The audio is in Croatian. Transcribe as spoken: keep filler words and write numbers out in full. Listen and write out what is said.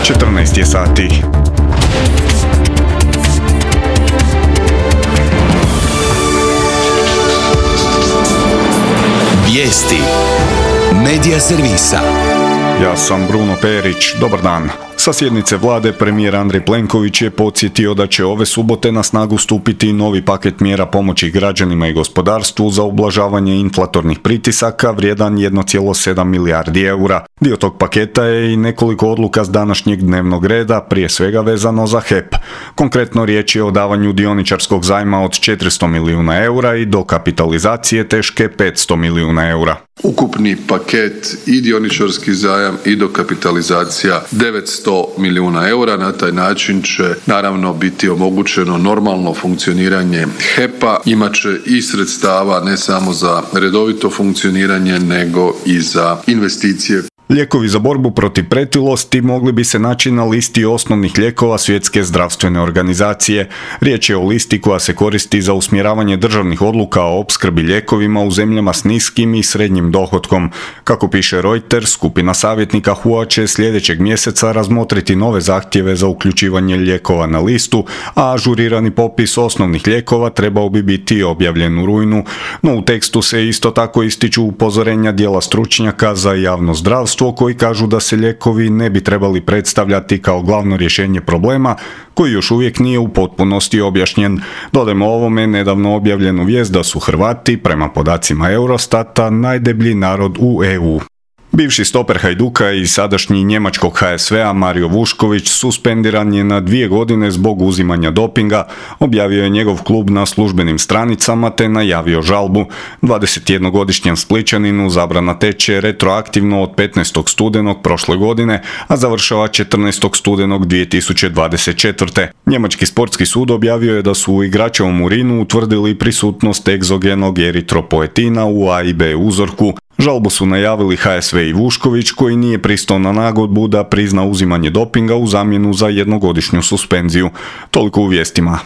četrnaest je sati. Vijesti Medija servisa. Ja sam Bruno Perić, dobar dan. Sa sjednice vlade premijer Andrej Plenković je podsjetio da će ove subote na snagu stupiti novi paket mjera pomoći građanima i gospodarstvu za ublažavanje inflatornih pritisaka vrijedan jedan zarez sedam milijardi eura. Dio tog paketa je i nekoliko odluka s današnjeg dnevnog reda, prije svega vezano za H E P. Konkretno riječ je o davanju dioničarskog zajma od četiristo milijuna eura i dokapitalizacije teške petsto milijuna eura. Ukupni paket i dioničarski zajam i dokapitalizacija devetsto milijuna eura. Na taj način će naravno biti omogućeno normalno funkcioniranje H E P-a. Imaće i sredstava ne samo za redovito funkcioniranje nego i za investicije. Lijekovi za borbu protiv pretilosti mogli bi se naći na listi osnovnih lijekova Svjetske zdravstvene organizacije. Riječ je o listi koja se koristi za usmjeravanje državnih odluka o opskrbi lijekovima u zemljama s niskim i srednjim dohotkom. Kako piše Reuters, skupina savjetnika H U A će sljedećeg mjeseca razmotriti nove zahtjeve za uključivanje lijekova na listu, a ažurirani popis osnovnih lijekova trebao bi biti objavljen u rujnu. No u tekstu se isto tako ističu upozorenja dijela stručnjaka za javno zdravstvo koji kažu da se lijekovi ne bi trebali predstavljati kao glavno rješenje problema koji još uvijek nije u potpunosti objašnjen. Dodajmo ovome nedavno objavljenu vijest da su Hrvati, prema podacima Eurostata, najdeblji narod u E U. Bivši stoper Hajduka i sadašnji njemačkog H S V-a Mario Vušković suspendiran je na dvije godine zbog uzimanja dopinga, objavio je njegov klub na službenim stranicama te najavio žalbu. dvadesetjednogodišnjem Splićaninu zabrana teče retroaktivno od petnaestog studenog prošle godine, a završava četrnaestog studenog dvije tisuće dvadeset četvrte. Njemački sportski sud objavio je da su u igračevom urinu utvrdili prisutnost egzogenog eritropoetina u A i B uzorku. Žalbu su najavili H S V i Vušković, koji nije pristao na nagodbu da prizna uzimanje dopinga u zamjenu za jednogodišnju suspenziju. Toliko u vijestima.